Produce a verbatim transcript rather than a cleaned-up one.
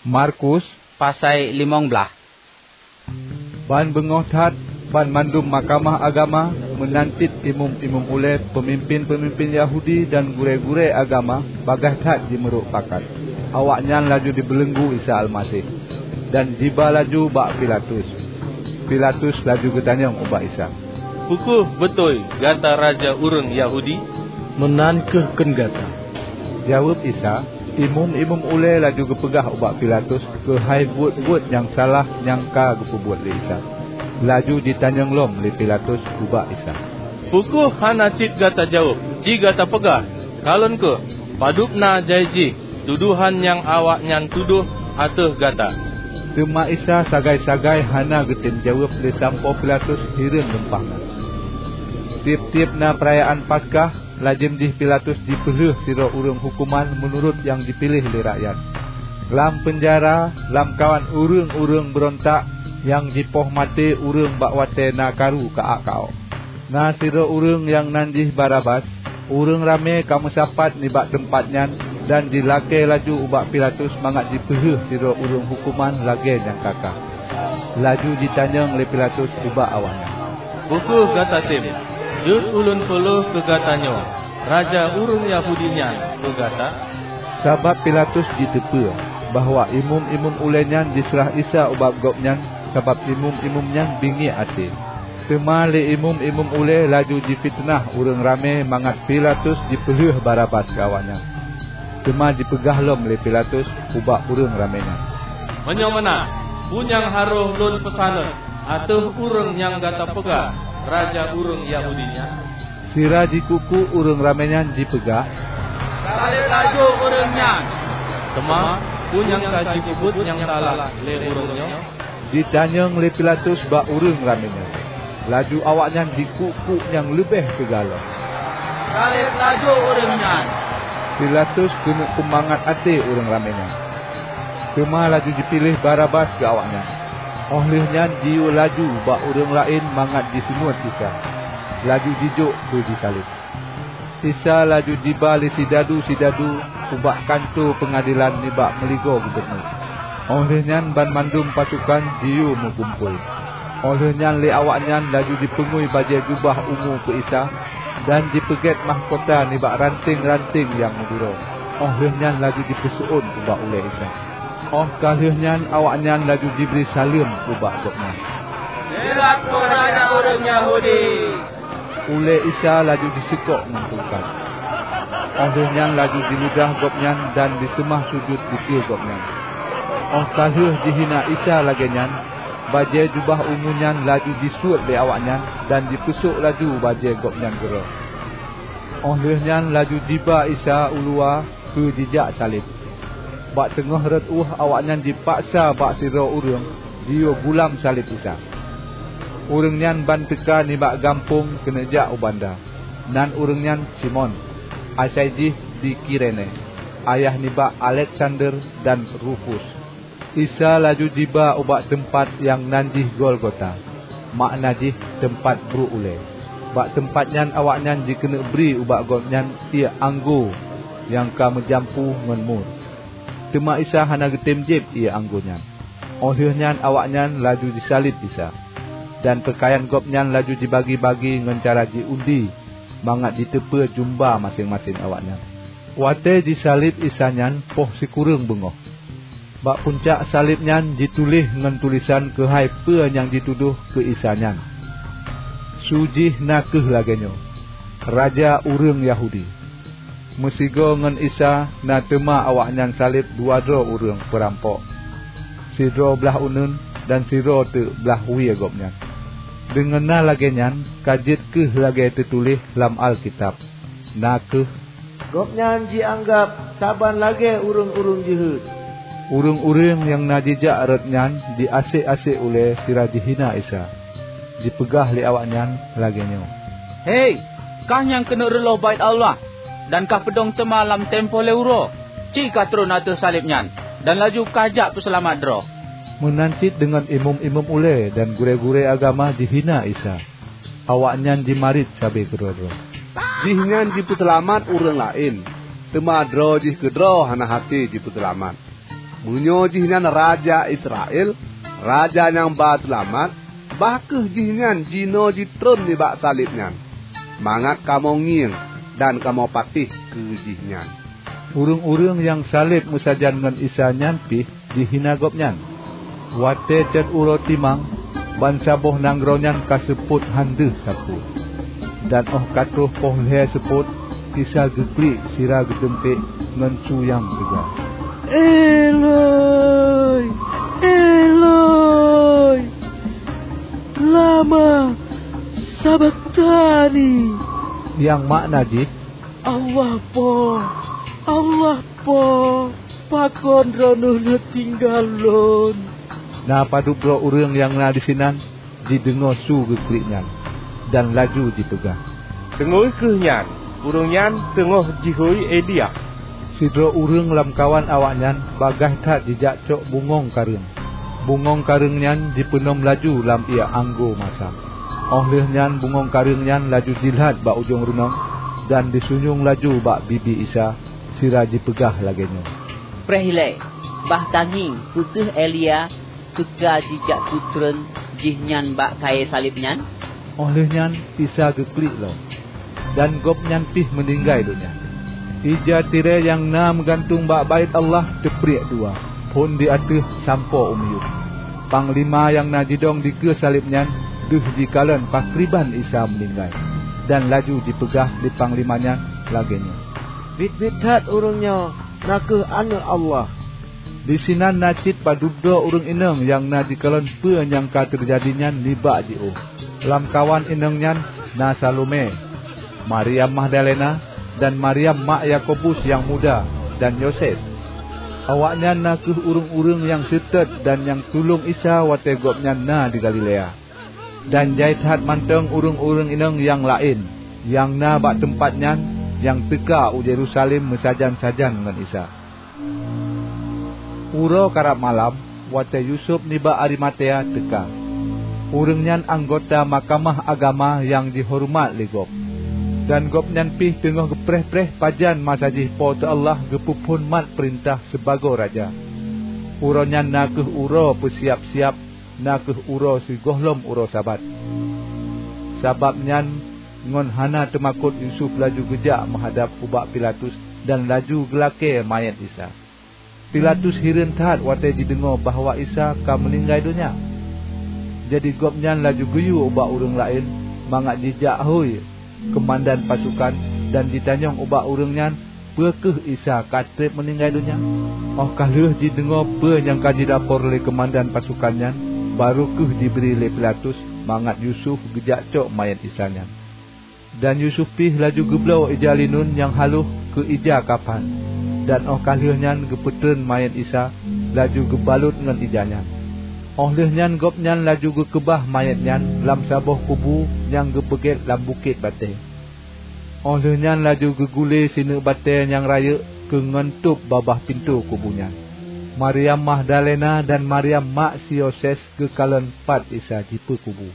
Markus pasai limong blaih. Ban beungoh that, banmandum mahkamah agama, meunan cit imeum-imeum ulée, peumimpén-peumimpén Yahudi dan gurée-gurée agama bagaih that jimeurok pakat. Awaknyan laju jibeuleuenggu Isa Almaseh, dan jiba laju bak Pilatus. Pilatus laju geutanyong ubak Isa, "Peu kheueh beutôi gata raja ureuëng Yahudi?" "Meunan kheueh kheun gata," jaweueb Isa. Imeum-imeum ulée laju geupeugah ubak Pilatus keuhai buet-buet nyang salah nyang ka geupeubuet lé Isa. Laju jitanyong lom lé Pilatus ubak Isa, "Peu kheueh hana cit gata jaweueb? Ci gata peugah, kalon kheueh padub na jai jih tudohan nyang awaknyan tudoh ateueh gata." Teuma Isa sagai-sagai hana geutem jaweueb lé sampoe Pilatus hireuen lumpah na. Tieb-tieb na peurayaan Paskah, lazem jih Pilatus jipeulheueh sidroe ureuëng huköman meunurot nyang jipiléh lé rakyat. Lam peunjara, lamkawan ureuëng-ureuëng beurontak nyang jipoh maté ureuëng bak watée na karu ka-ak ka-ok. Na sidroe ureuëng nyang nan jih Barabas. Ureuëng ramé ka meusapat nibak teumpat nyan dan jilakée laju ubak Pilatus mangat jipeulheueh sidroe ureuëng huköman lagée nyang ka-ka. Laju jitanyong lé Pilatus ubak awaknyan, "Peu kheueh gata tem? Jeuet ulôn peulheueh keu gata nyoe raja ureuëng Yahudi nyan keu gata?" Sabab Pilatus jiteupeue bahwa imeum-imeum ulée nyan jiseurah Isa ubak gobnyan sabab imeum-imeum nyan bingiek até. Teuma lé imeum-imeum ulée laju jifiteunah ureuëng ramé mangat Pilatus jipeulheueh Barabas keu awaknyan. Teuma jipeugah lom lé Pilatus ubak ureuëng ramé nyan, "Meunyoe meunan, peue nyang harôh lôn peusaneut ateueh ureuëng nyang gata peugah raja ureuëng Yahudi nyan?" Sira jikuk-kuk ureuëng ramé nyan jipeugah, "Saleb laju ureuëng nyan!" Teuma peue nyang ka jipeubuet nyang salah lé ureuëng nyoe? Jitanyong lé Pilatus bak ureuëng ramé nyan. Laju awaknyan jikuk-kuk nyang leubeh teuga lom, "Saleb laju ureuëng nyan!" Pilatus keuneuk peumangat até ureuëng ramé nyan, teuma laju jipiléh Barabas keu awaknyan. Óh lheueh nyan jiyue laju bak ureuëng laén mangat jiseunuet Isa, laju jijok keu jisaleb. Isa laju jiba lé sidadu-sidadu ubak kantô peungadelan nibak meuligoe gubunur. Óh lheueh nyan banmandum pasukan jiyue meugumpôi. Óh lheueh nyan lé awaknyan laju jipeungui bajée jubah ungu keu Isa dan jipeugét mahkota nibak ranténg-ranténg nyang meuduro. Óh lheueh nyan laju jipeuseuôn ubak ulée Isa. Óh ka lheueh nyan awaknyan laju jibri saleuem ubak Gobnyan, "Nyoe lakoe raja ureuëng Yahudi!" Ulée Isa laju jiseukok ngon tungkat. Óh lheueh nyan laju jiludah Gobnyan dan jiseumah sujut dikeue Gobnyan. Óh ka lheueh jihina Isa lagée nyan, bajée jubah ungu nyan laju jisuet lé awaknyan dan jipeusok laju bajée Gobnyan keudroe. Óh lheueh nyan laju jiba Isa u luwa keu jijak saleb. Bak teungoh rot ueh awaknyan jipaksa bak sidroe ureuëng jiyue gulam saleb Isa. Ureuëng nyan ban teuka nibak gampông keuneuk jak u banda. Nan ureuëng nyan Simon, asai jih di Kirene, ayah nibak Aleksander dan Rufus. Isa laju jiba ubak teumpat nyang nan jih Golgota, makna jih teumpat bruek ulée. Bak teumpat nyan awaknyan jikeuneuk bri ubak Gobnyan ié anggô nyang ka meujampu ngon mur. Teuma Isa hana geutem jieb ié anggô nyan. Óh lheueh nyan awaknyan laju jisaleb Isa, dan peukayan Gobnyan laju jibagi-bagi ngon cara jiundi mangat jiteupeue jumba maséng-maséng awaknyan. Watée jisaleb Isa nyan poh sikureueng beungoh. Bak puncak saleb nyan jituléh ngon tulésan keuhai peue nyang jitudôh keu Isa nyan. Su jih na kheueh lagée nyoe, "Raja Ureuëng Yahudi." Meusigoe ngon Isa na teuma awaknyan saleb dua droe ureuëng peurampok, sidroe blaih uneuen dan sidroe teuk blaih wie Gobnyan. Deungon na lagée nyan ka jeuet kheueh lagée teutuléh lam Alkitab, na kheueh, "Gobnyan jianggab saban lagée ureuëng-ureuëng jeuhet." Ureuëng-ureuëng nyang na jijak rot nyan jiasek-asek ulée sira jihina Isa. Jipeugah lé awaknyan lagée nyoe, "Hei, kah nyang keuneuk reuloh Baét Allah dan kah peudong teuma lam teumpo lhée uroe, ci kah trôn ateueh saleb nyan dan laju kah jak peuseulamat droe!" Meunan cit deungon imeum-imeum ulée dan gurée-gurée agama jihina Isa. Awaknyan jimarit sabe keudroe-droe. "Jihnyan jipeuseulamat ureuëng laén, teuma droe jih keudroe hana até jipeuseulamat." Meunyoe jihnyan raja Israel, raja nyang ba seulamat, bah kheueh jihnyan jinoe jitreun nibak saleb nyan, mangat kamoe ngieng dan kamoe patéh keu jihnyan." Ureuëng-ureuëng nyang saleb meusajan ngon Isa nyan pih jihina Gobnyan. Watée cot uroe timang, bansaboh nanggroe nyan ka seupôt han deuh sapeue. Dan óh ka troh poh lhée seupôt, Isa geuklik sira geuteumpék ngon su nyang teuga, "Eloi, Eloi, lama sabakhtani?" Nyang makna jih, "Allah Po, Allah Po, pakon Droeneueh neutinggai lôn?" Na padub droe ureuëng nyang na disinan jideungoe su geuklik nyan, dan laju jipeugah, "Teungui kheueh nyan! Ureuëng nyan teungoh jihôi Elia!" Sidroe ureuëng lamkawan awaknyan bagaih that jijak cok bungöng kareueng. Bungöng kareueng nyan jipeunom laju lam ié anggô masam. Óh lheueh nyan bungöng kareueng nyan laju jilhat bak ujong runoe, dan jisunyueng laju bak bibi Isa, sira jipeugah lagée nyoe, "Preh ilée, bah tangieng peu kheueh Elia teuka jijak peutreun jihnyan bak kayée saleb nyan." Óh lheueh nyan Isa geuklik lom, dan Gobnyan pih meuninggai donya. Ija tirée nyang na meugantung bak Baét Allah teupriek dua, phon di ateueh sampoe u miyueb. Panglima nyang na jidong dikeue saleb nyan deuh jikalon pakriban Isa meuninggai, dan laju jipeugah lé panglima nyan lagée nyoe, "Biet-biet that ureuëng nyoe na kheueh Aneuëk Allah!" Disinan na cit padub droe ureuëng inong nyang na jikalon peue nyang ka teujadi nyan nibak jiôh. Lamkawan inong nyan na Salome, Maryam Magdalena, dan Maryam mak Yakobus nyang muda dan Yoses. Awaknyan na kheueh ureuëng-ureuëng nyang seutôt dan nyang tulông Isa watée Gobnyan na di Galilea. Dan jai that mantong ureuëng-ureuëng inong nyang laén nyang na bak teumpat nyan nyang teuka u Yerusalem meusajan-sajan ngon Isa. Uroe karab malam, watée Yusuf nibak Arimatea teuka. Ureuëng nyan anggota Mahkamah Agama nyang jihoreumat lé gob, dan gobnyan pih teungoh geupreh-preh pajan masa jih Po teu Allah geupeuphon mat peurintah sibagoe raja. Uroe nyan na kheueh uroe peusiab-siab, na kheueh uroe sigohlom uroe Sabat. Sabab nyan, ngon hana teumakot Yusuf laju geujak meuhadab ubak Pilatus dan laju geulakée manyét Isa. Pilatus hireuen that watée jideungoe bahwa Isa ka meuninggai donya. Jadi gobnyan laju geuyue ubak ureuëng laén mangat jijak hôi keumandan pasukan dan jitanyong ubak ureuëng nyan peu kheueh Isa ka treb meuninggai donya. Óh ka lheueh jideungoe peue nyang ka jilapor lé keumandan pasukan nyan, barô kheueh jibri lé Pilatus mangat Yusuf geujak cok manyét Isa nyan. Dan Yusuf pih laju geubloe ija linun nyang haloh keu ija kafan, dan óh ka lheueh nyan geupeutreun manyét Isa, laju geubalot ngon ija nyan. Óh lheueh nyan gobnyan laju geukeubah manyét nyan lam saboh kubu nyang geupeugét lam bukét batée. Óh lheueh nyan laju geugulée sineuk batée nyang rayeuk keu ngon tôb babah pintoe kubu nyan. Maryam Magdalena dan Maryam mak si Yoses geukalon pat Isa jipeue kubu.